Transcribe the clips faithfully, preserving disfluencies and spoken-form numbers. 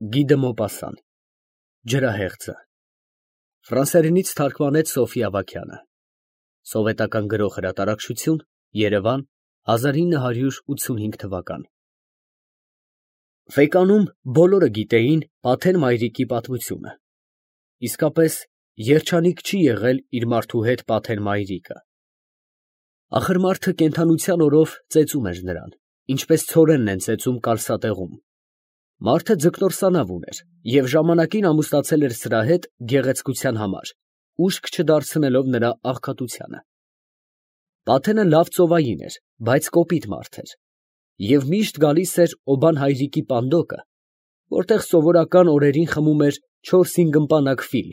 Գի դը Մոպասան, Ջրահեղձը, ֆրանսերենից թարգմանեց Սոֆի Ավագյանը, Սովետական Գրող Հրատարակչություն, Երևան, հազար ինը հարյուր ութսունհինգ թվական։ Ֆեկանում բոլորը գիտեին Պաթեր մայրիկի պատմությունը, իսկապես երջանիկ չի եղել իր մարդու հետ Պաթեր մայրիկը։ Ախր մարդը կենդանության օրով ծեծում էր նրան, ինչպես ցորենն են ծեծում կալսատեղում։ Մարդը ձկնորսանավ ուներ և ժամանակին ամուսնացել էր սրա հետ գեղեցկության համար, ուշք չդարձնելով նրա աղքատությանը։ Պաթենը լավ ծովային էր, բայց կոպիտ մարդ էր, և միշտ գալիս էր Օբան հայրիկի պանդոկը, որտեղ սովորական օրերին խմում էր չորս֊հինգ ըմպանակ ֆիլ,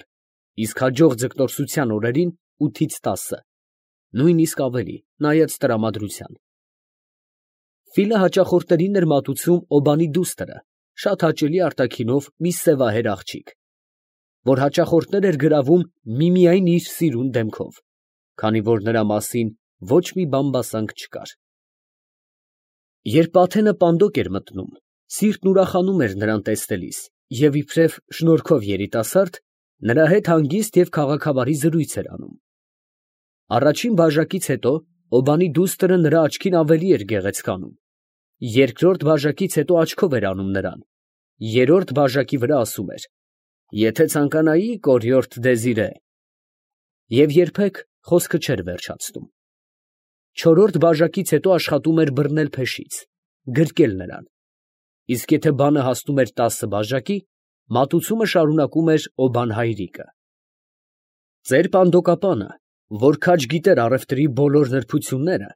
իսկ հաջող ձկնորսության օրերին ութից տասը, նույնիսկ ավելի, նայած տրամադրության։ Ֆիլը հաճախորդներին էր մատուցում Օբանի դուստրը, շատ հաճելի արտաքինով մի սևահեր աղջիկ, որ հաճախորդներ էր գրավում միմիայն իր սիրուն դեմքով, քանի որ նրա մասին ոչ մի բամբասանք չկար։ Երբ Պաթենը պանդոկ էր մտնում, սիրտն ուրախանում էր նրան տեսնելիս, և իբրև շնորհքով երիտասարդ, նրա հետ հանգիստ և քաղաքավարի զրույց էր անում։ Առաջին բաժակից հետո Օբանի դուստրը նրա աչքին ավելի էր գեղեցկանում, երկրորդ բաժակից հետո աչքով էր անում նրան, երրորդ բաժակի վրա ասում էր. «Եթե ցանկանայի, կորյորդ Դեզիրե», և երբեք խոսքը չէր վերջացնում։ Չորրորդ բաժակից հետո աշխատում էր բռնել փեշից, գրկել նրան, իսկ եթե բանը հասնում էր տասը բաժակի, մատուցումը շարունակում էր Օբան հայրիկը։ Ծեր պանդոկապանը, որ քաջ գիտեր առևտրի բոլոր նրբությունները,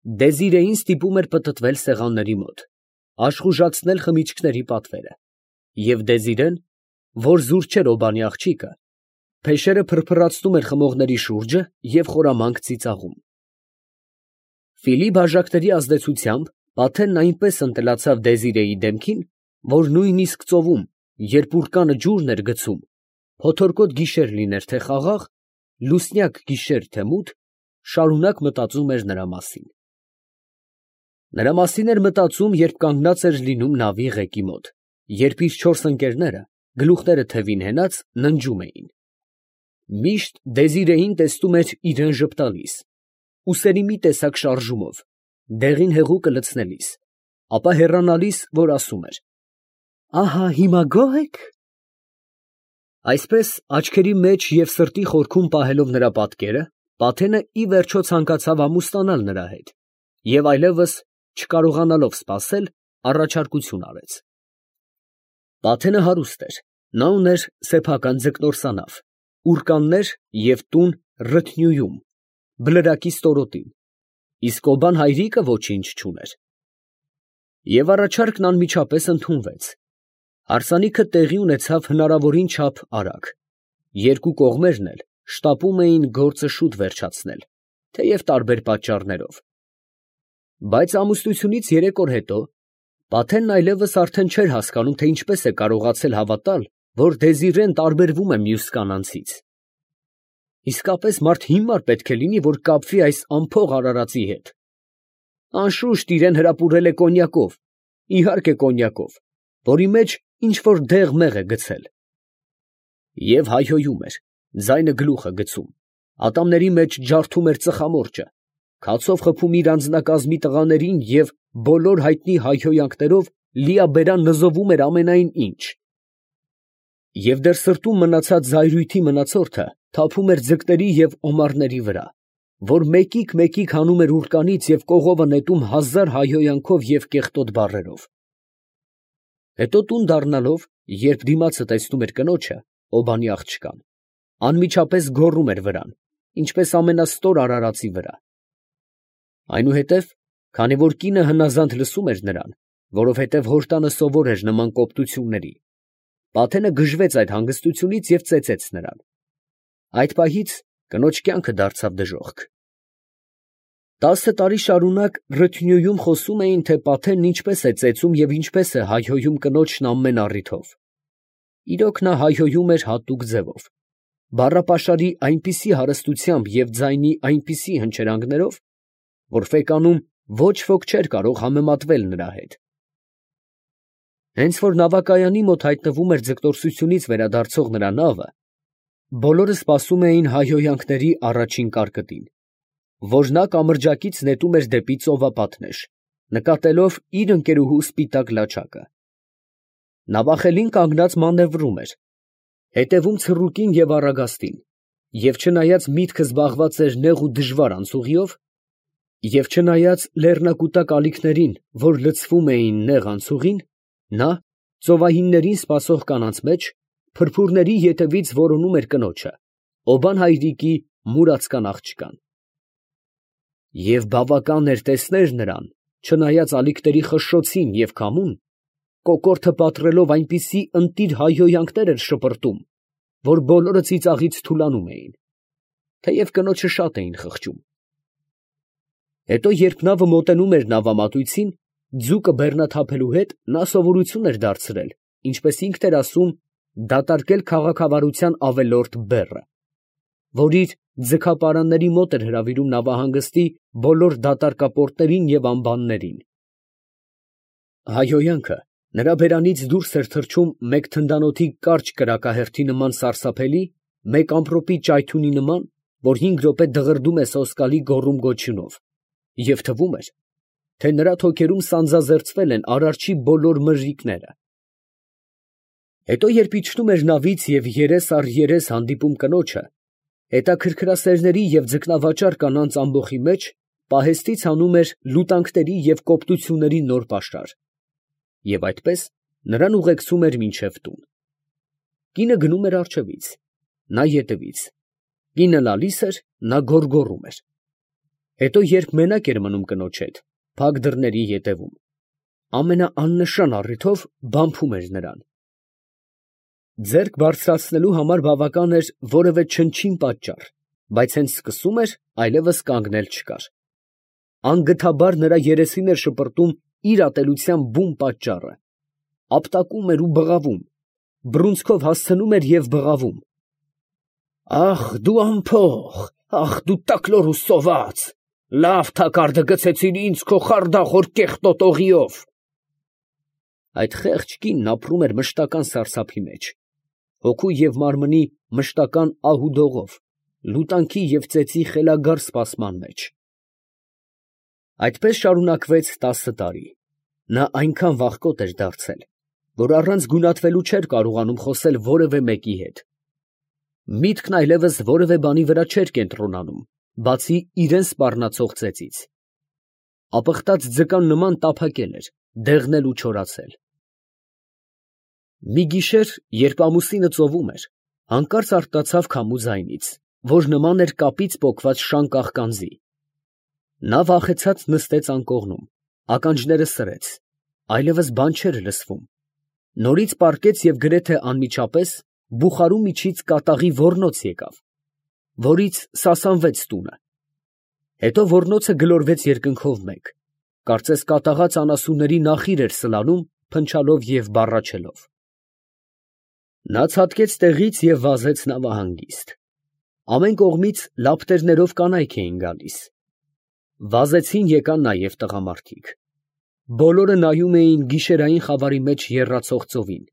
Դեզիրեին ստիպում էր պտտվել սեղանների մոտ, աշխուժացնել խմիչքների պատվերը, և Դեզիրեն, որ զուր չէր Օբանի աղջիկը, փեշերը փրփրացնում էր խմողների շուրջը և խորամանկ ծիծաղում։ Ֆիլի բաժակների ազդեցությամբ Պաթենն այնպես ընտելացավ Դեզիրեի դեմքին, որ նույնիսկ ծովում, երբ ուռկանը ջուրն էր գցում, փոթորկոտ գիշեր լիներ թե խաղաղ, լուսնյակ գիշեր թե մութ, շարունակ մտածում էր նրա մասին։ Նրա մասին էր մտածում, երբ կանգնած էր լինում նավի ղեկի մոտ, երբ իր չորս ընկերները, գլուխները թևին հենած, ննջում էին։ Միշտ Դեզիրեին տեսնում էր իրան ժպտալիս, ուսերի մի տեսակ շարժումով, դեղին հեղուկը լցնելիս, ապա հեռանալիս, որ ասում էր. «Ահա հիմա գոհ ե՞ք»։ Այսպես աչքերի մեջ և սրտի խորքում պահելով նրա պատկերը, Պաթենը ի վերջո ցանկացավ ամուսնանալ նրա հետ և այլևս չկարողանալով սպասել, առաջարկություն արեց։ Պաթենը հարուստ էր, նա ուներ սեփական ձկնորսանավ, ուռկաններ և տուն Ռթնյուում, Բլրակի ստորոտին, իսկ Օբան հայրիկը ոչինչ չուներ։ Եվ առաջարկն անմիջապես ընդունվեց։ Հարսանիքը տեղի ունեցավ հնարավորին չափ արագ, երկու կողմերն էլ շտապում էին գործը շուտ վերջացնել, թեև տարբեր պատճառներով։ Բայց ամուսնությունից երեք օր հետո Պաթենն այլևս արդեն չէր հասկանում, թե ինչպես է կարողացել հավատալ, որ Դեզիրեն տարբերվում է մյուս կանանցից։ Իսկապես մարդ հիմար պետք է լինի, որ կապվի այս անփող արարածի հետ։ Անշուշտ իրան հրապուրել է կոնյակով, իհարկե կոնյակով, որի մեջ ինչ֊որ դեղ֊մեղ է գցել։ Եվ հայհոյում էր, ձայնը գլուխ է գցում, ատամների մեջ ջարդում էր ծխամորճը, քացով խփում իր անձնակազմի տղաներին և բոլոր հայտնի հայհոյանքներով լիաբերան նզովում էր ամենայն ինչ։ Եվ դեռ սրտում մնացած զայրույթի մնացորդը թափում էր ձկների և օմառների վրա, որ մեկիկ֊մեկիկ հանում էր ուռկանից և կողովը նետում հազար հայհոյանքով և կեղտոտ բառերով։ Հետո տուն դառնալով, երբ դիմացը տեսնում էր կնոջը, Օբանի աղջկան, անմիջապես գոռում էր վրան, ինչպես ամենաստոր արարածի վրա։ Այնուհետև, քանի որ կինը հնազանդ լսում էր նրան, որովհետև հոր տանը սովոր էր նման կոպտությունների, Պաթենը գժվեց այդ հանգստությունից և ծեծեց նրան։ Այդ պահից կնոջ կյանքը դարձավ դժոխք։ Տասը տարի շարունակ Ռթնյուում խոսում էին, թե Պաթենն ինչպես է ծեծում և ինչպես է հայհոյում կնոջն ամեն առիթով։ Իրոք նա հայհոյում էր հատուկ ձևով, բառապաշարի այնպիսի հարստությամբ և ձայնի այնպիսի հնչերանգներով, որ Ֆեկանում ոչ ոք չէր կարող համեմատվել նրա հետ։ Հենց որ նավակայանի մոտ հայտնվում էր ձգտորսությունից վերադարձող նրա նավը, բոլորը սպասում էին հայհոյանքների առաջին կարկտին, որ նա կամրջակից նետում էր դեպի ծովապատներ, նկատելով իր ընկերուհու սպիտակ լաչակը։ Նավախելին կանգնած մանևրում էր, հետևում ցռուկին և առագաստին, և չնայած միտքը զբաղված էր նեղ ու դժվար անցուղիով, և չնայած լեռնակուտակ ալիքներին, որ լցվում էին նեղ անցուղին, նա, ծովահիններին սպասող կանանց մեջ, փրփուրների ետևից որոնում էր կնոջը, Օբան հայրիկի մուրացկան աղջկան։ Եվ բավական էր տեսնել նրան, չնայած ալիքների խշշոցին և քամուն, կոկորդը պատռելով այնպիսի ընտիր հայհոյանքներ էր շպրտում, որ բոլորը ծիծաղից թուլանում էին, թեև կնոջը շատ էին խղճում։ Հետո երբ նավը մոտենում էր նավամատույցին, ձուկը բեռնաթափելու հետ նա սովորություն էր դարձրել, ինչպես ինքն էր ասում, դատարկել քաղաքավարության ավելորդ բեռը, որ իր ձգապարանների մոտ էր հրավիրում նավահանգստի բոլոր դատարկապորտներին և ամբաններին։ Հայհոյանքը նրա բերանից դուրս էր թռչում մեկ թնդանոթի կարճ կրակահերթի նման սարսափելի, մեկ ամպրոպի ճայթունի նման, որ հինգ րոպե դղրդում է սոսկալի գոռում֊գոչյունով, և թվում էր, թե նրա թոքերում սանձազերծվել են Արարչի բոլոր մրրիկները։ Հետո երբ իջնում էր նավից և երես առ երես հանդիպում կնոջը, հետաքրքրասերների և ձկնավաճառ կանանց ամբոխի մեջ պահեստից հանում էր լուտանքների և կոպտությունների նոր պաշար, և այդպես նրան ուղեկցում էր մինչև տուն։ Կինը գնում էր առջևից, նա ետևից, կինը լալիս էր, նա գոռգոռում էր։ Հետո երբ մենակ էր մնում կնոջ հետ, փակ դռների ետևում, ամենաաննշան առիթով բամփում էր նրան։ Ձեռք բարձրացնելու համար բավական էր որևէ չնչին պատճառ, բայց հենց սկսում էր, այլևս կանգնել չկար։ Անգթաբար նրա երեսին էր շպրտում իր ատելության բուն պատճառը, ապտակում էր ու բղավում, բռունցքով հասցնում էր և բղավում. «Ախ, դու անփող, ախ, դու տակլոր ու սոված, լավ թակարդը գցեցիր ինձ քո խարդախոր կեղտոտ օղիով»։ Այդ խեղճ կինն ապրում էր մշտական սարսափի մեջ, հոգու և մարմնի մշտական ահուդողով, լուտանքի և ծեծի խելագար սպասման մեջ։ Այդպես շարունակվեց տասը տարի. նա այնքան վախկոտ էր դարձել, որ առանց գունատվելու չէր կարողանում խոսել որևէ մեկի հետ։ Միտքն այլևս որևէ բանի վրա չէր կենտրոնանում, բացի իրան սպառնացող ծեծից։ Ապխտած ձկան նման տափակել էր, դեղնել ու չորացել։ Մի գիշեր, երբ ամուսինը ծովում էր, հանկարծ արտացավ քամու ձայնից, որ նման էր կապից պոկված շան կաղկանձի։ Նա վախեցած նստեց անկողնում, ականջները սրեց, այլևս բան չէր լսվում, նորից պառկեց և գրեթե անմիջապես բուխարու միջից կատաղի ոռնոց եկավ, որից սասանվեց տունը, հետո ոռնոցը գլորվեց երկնքով մեկ, կարծես կատաղած անասունների նախիր էր սլանում, փնչալով և բառաչելով։ Նա ցատկեց տեղից և վազեց նավահանգիստ։ Ամեն կողմից լապտերներով կանայք էին գալիս։ Վազեցին եկան նաև տղամարդիկ։ Բոլորը նայում էին գիշերային խավարի մեջ եռացող ծովին,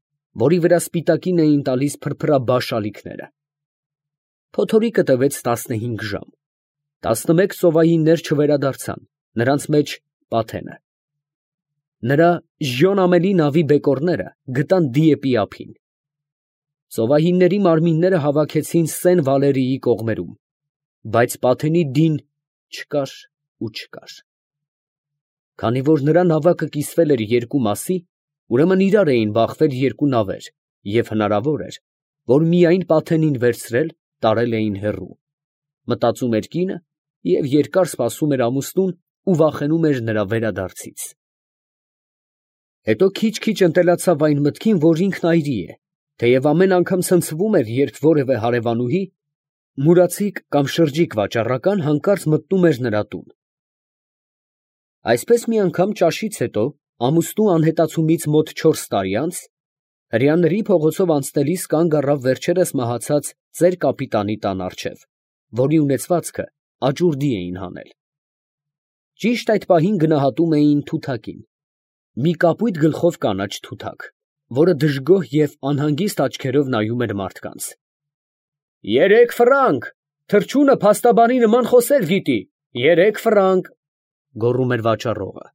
որի վրա սպիտակին էին տալիս փրփրաբաշ ալիքները։ Փոթորիկը տևեց տասնհինգ ժամ։ Տասնմեկ ծովահիններ չվերադարձան, նրանց մեջ Պաթենը։ Նրա ժյոն ամելի նավի բեկորները գտան Դիեպի ափին։ Ծովահինների մարմինները հավաքեցին Սեն Վալերիի կողմերում, բայց Պաթենի դին չկար ու չկար։ Քանի որ նրա նավակը կիսվել էր երկու մասի, ուրեմն իրար էին բախվել երկու նավեր, և հնարավոր էր, որ միայն Պաթենին վերցրել, տարել էին հեռու, մտածում էր կինը և երկար սպասում էր ամուսնուն ու վախենում էր նրա վերադարձից։ Հետո քիչ֊քիչ ընտելացավ այն մտքին, որ ինքն այրի է, թեև ամեն անգամ ցնցվում էր, երբ որևէ հարևանուհի, մուրացիկ կամ շրջիկ վաճառական հանկարծ մտնում էր նրա տուն։ Այսպես մի անգամ ճաշից հետո, ամուսնու անհետացումից մոտ չորս տարի անց, հրեաների փողոցով անցնելիս կանգ առավ վերջերս մահացած ծեր կապիտանի տան առջև, որի ունեցվածքը աճուրդի էին հանել։ Ճիշտ այդ պահին գնահատում էին թութակին։ մի կապույտ գլխով կանաչ թութակ, որը դժգոհ և անհանգիստ աչքերով նայում էր մարդկանց։ ֊ Երեք ֆրանկ, թռչունը փաստաբանի նման խոսել գիտի, երեք ֆրանկ, գոռում էր վաճառողը։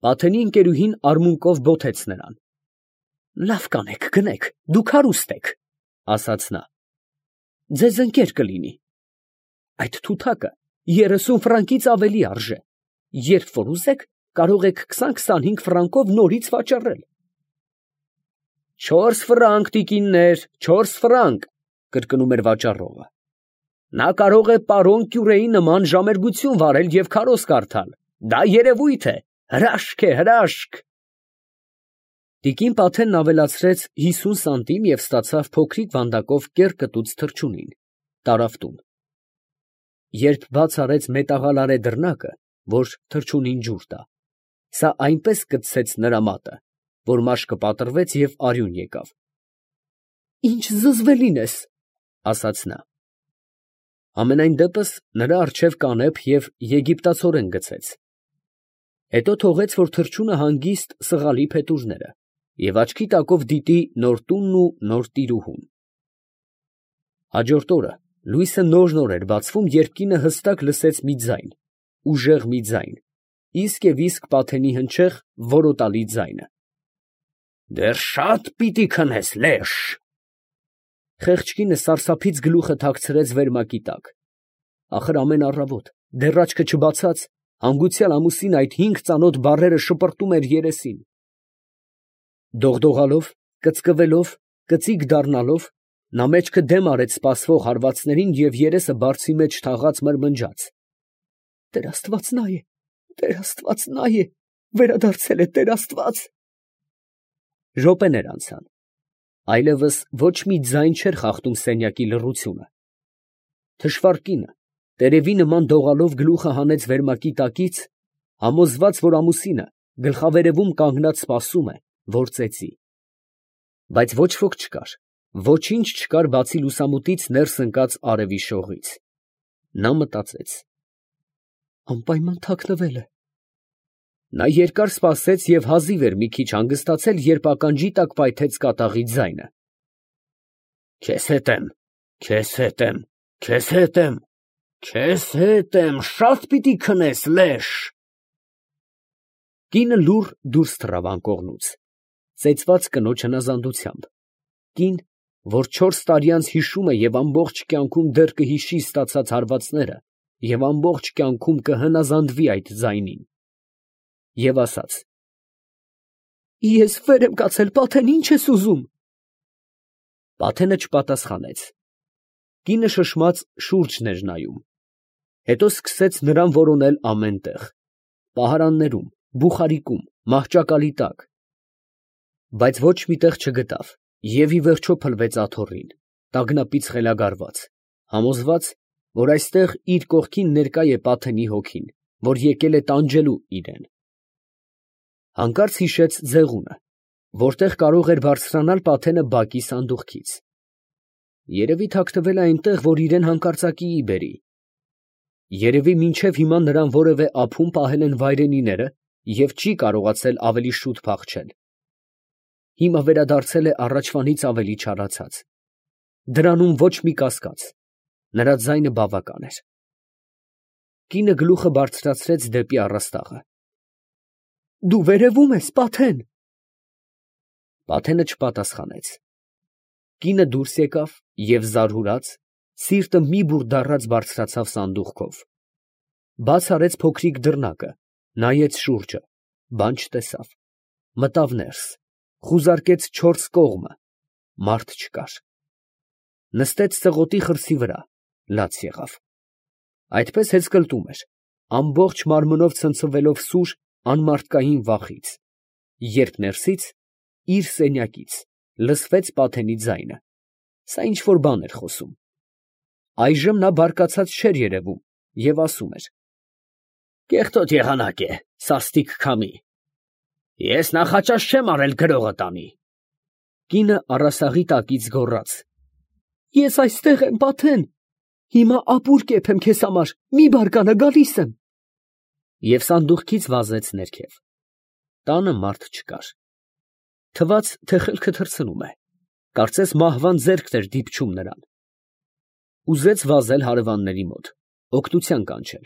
Պաթենի ընկերուհին արմունկով բոթեց նրան։ ֊ Լավ կանեք, գնեք, դուք հարուստ եք, ֊ ասաց նա։ ֊ Ձեզ ընկեր կլինի։ Այդ թութակը երեսուն ֆրանկից ավելի արժե, երբ որ ուզեք, կարող եք քսան֊քսանհինգ ֆրանկով նորից վաճառել։ ֊ Չորս ֆրանկ, տիկիններ, չորս ֆրանկ, ֊ կրկնում էր վաճառողը։ Նա կարող է պարոն Կյուրեի նման ժամերգություն վարել և քարոզ կարդալ, դա երևույթ է, հրաշք է, հրաշք։ Տիկին Պաթենն ավելացրեց հիսուն սանտիմ և ստացավ փոքրիկ վանդակով կեռ կտուց թռչունին, տարավ տուն։ Երբ բաց արեց մետաղալարե դռնակը, որ թռչունին ջուր տա, սա այնպես կծեց նրա մատը, որ մաշկը պատռվեց և արյուն եկավ։ ֊ Ինչ զզվելին ես, ֊ ասաց նա։ Համենայն դեպս նրա առջև կանեփ և եգիպտացորեն գցեց։ Հետո թողեց, որ թռչունը հանգիստ սղալի փետուրները և աչքի տակով դիտի նոր տունն ու նոր տիրուհուն։ Հաջորդ օրը լույսը նոր֊նոր էր բացվում, երբ կինը հստակ լսեց մի ձայն, ուժեղ մի ձայն, իսկ և իսկ Պաթենի հնչեղ, որոտալի ձայնը։ «Դեռ շատ պիտի քնես, լեշ»։ Խեղճ կինը սարսափից գլուխը թաքցրեց վերմակի տակ։ Ախր ամեն առավոտ, դեռ աչքը չբացած, հանգուցյալ ամուսինը այդ հինգ ծանոթ բառերը շպրտում էր երեսին։ Դողդողալով, կծկվելով, կծիկ դառնալով, նա մեջքը դեմ արեց սպասվող հարվածներին և երեսը բարձի մեջ թաղած մրմնջաց. «Տեր Աստված նա է, Տեր Աստված նա է, վերադարձել է Տեր Աստված»։ Րոպեներ անցան, այլևս ոչ մի ձայն չէր խախտում սենյակի լռությունը։ Թշվառ կինը, տերևի նման դողալով գլուխը հանեց վերմակի տակից, համոզված, որ ամուսինը գլխավերևում կանգնած սպասում է, որ ծեծի։ Բայց ոչ ոք չկար, ոչինչ չկար, բացի լուսամուտից ներս ընկած արևի շողից։ Նա մտածեց. անպայման թաքնվել է։ Նա երկար սպասեց և հազիվ էր մի քիչ հանգստացել, երբ ականջի տակ պայթեց կատաղի ձայնը. «Քեզ հետ եմ, քեզ հետ եմ, քեզ հետ եմ, քեզ հետ եմ, շատ պիտի քնես, լեշ»։ Կինը լուռ դուրս թռավ անկողնուց, ծեծված կնոջ հնազանդությամբ, կին, որ չորս տարի անց հիշում է և ամբողջ կյանքում դեռ կհիշի ստացած հարվածները և ամբողջ կյանքում կհնազանդվի այդ ձայնին, և ասաց. «Ես վեր եմ կացել, Պաթեն, ի՞նչ ես ուզում»։ Պաթենը չպատասխանեց։ Կինը շշմած շուրջն էր նայում, հետո սկսեց նրան որոնել ամեն տեղ, պահարաններում, բուխարիկում, մահճակալի տակ, բայց ոչ մի տեղ չգտավ և ի վերջո փլվեց աթոռին, տագնապից խելագարված, համոզված, որ այստեղ իր կողքին ներկա է Պաթենի հոգին, որ եկել է տանջելու իրան։ Հանկարծ հիշեց ձեղունը, որտեղ կարող էր բարձրանալ Պաթենը բակի սանդուղքից։ Երևի թաքնվել է այնտեղ, որ իրան հանկարծակիի բերի։ Երևի մինչև հիմա նրան որևէ ափում պահել են վայրենիները և չի կարողացել ավելի շուտ փախչել։ Հիմա վերադարձել է առաջվանից ավելի չարացած։ Դրանում ոչ մի կասկած, նրա ձայնը բավական էր։ Կինը գլուխը բարձրացրեց դեպի առաստաղը։ «Դու վերևում ես, Պաթեն»։ Պաթենը չպատասխանեց։ Կինը դուրս եկավ և զարհուրած, սիրտը մի բուռ դառած բարձրացավ սանդուղքով, բաց արեց փոքրիկ դռնակը, նայեց շուրջը, բան չտեսավ, մտավ ներս, խուզարկեց չորս կողմը, մարդ չկար։ Նստեց ծղոտի խրսի վրա, լաց եղավ։ Այդպես հեծկլտում էր, ամբողջ մարմնով ցնցվելով սուր, անմարդկային վախից, երբ ներսից, իր սենյակից, լսվեց Պաթենի ձայնը. սա ինչ֊որ բան էր խոսում։ Այժմ նա բարկացած չէր երևում և ասում էր. «Կեղտոտ եղանակ է, սաստիկ քամի, ես նախաճաշ չեմ արել գրողը տանի»։ Կինը առաստաղի տակից գոռաց. «Ես այստեղ եմ, Պաթեն, հիմա ապուր կեփեմ քեզ համար, մի բարկանա, գալիս եմ»։ Եվ սանդուղքից վազեց ներքև։ Տանը մարդ չկար։ Թվաց, թե խելքը թռցնում է, կարծես մահվան ձեռքն էր դիպչում նրան։ Ուզեց վազել հարևանների մոտ, օգնության կանչել,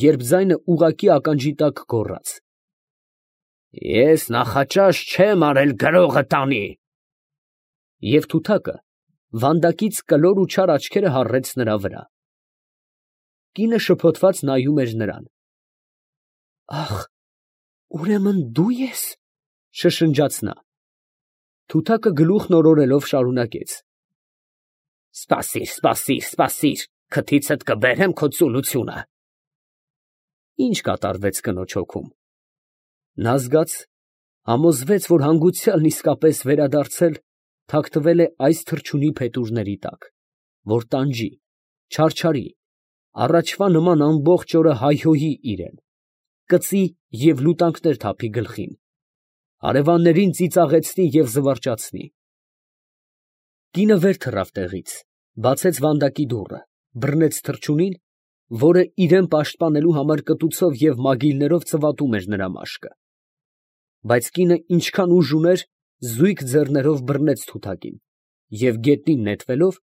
երբ ձայնը ուղղակի ականջի տակ գոռաց. «Ես նախաճաշ չեմ արել գրողը տանի»։ Եվ թութակը վանդակից կլոր ու չար աչքերը հառեց նրա վրա։ Կինը շփոթված նայում էր նրան։ «Ախ, ուրեմն դու ես, ֊ շշնջաց նա։ Թութակը գլուխն օրորելով շարունակեց. «Սպասիր, սպասիր, սպասիր, քթիցդ կբերեմ քո ծուլությունը»։ Ինչ կատարվեց կնոջ հոգում։ Նա զգաց, համոզվեց, որ հանգուցյալն իսկապես վերադարձել, թաքնվել է այս թռչունի փետուրների տակ, որ տանջի, չարչարի, առաջվա նման ամբողջ օրը հայհոյի իրան, կծի և լուտանքներ թափի գլխին, հարևաններին ծիծաղեցնի և զվարճացնի։ Կինը վեր թռավ տեղից, բացեց վանդակի դուռը, բռնեց թռչունին, որը իրան պաշտպանելու համար կտուցով և մագիլներով ծվատում էր նրա մաշկը։ Բայց կինը ինչքան ուժ ուներ, զույգ ձեռներով բռնեց թութակին և գետնին նետվելով,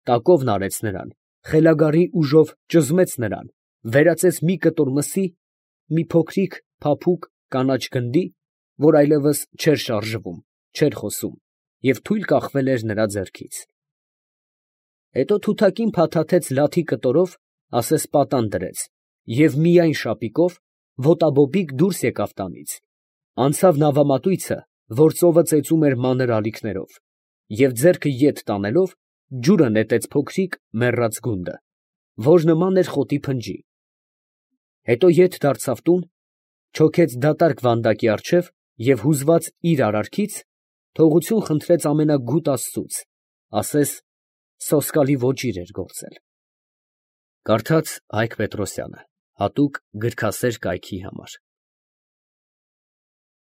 տակովն արեց նրան, խելագարի ուժով ճզմեց նրան, վերածեց մի կտոր մսի, մի փոքրիկ, փափուկ, կանաչ գնդի, որ այլևս չէր շարժվում, չէր խոսում և թույլ կախվել էր նրա ձեռքից։ Հետո թութակին փաթաթեց լաթի կտորով, ասես պատան դրեց, և միայն շապիկով, ոտաբոբիկ դուրս եկավ տանից, անցավ նավամատույցը, որ ծովը ծեծում էր մանր ալիքներով, և ձեռքը ետ տանելով, ջուրը նետեց փոքրիկ, մեռած գունդը, որ նման էր խոտի փնջի։ Հետո ետ դարձավ տուն, չոքեց դատարկ վանդակի առջև և հուզված իր արարքից, թողություն խնդրեց ամենագութ աստծուց, ասես սոսկալի ոճիր էր գործել։ Կարդաց Հայկ Պետրոսյանը, հատուկ գրքասեր կայքի համար։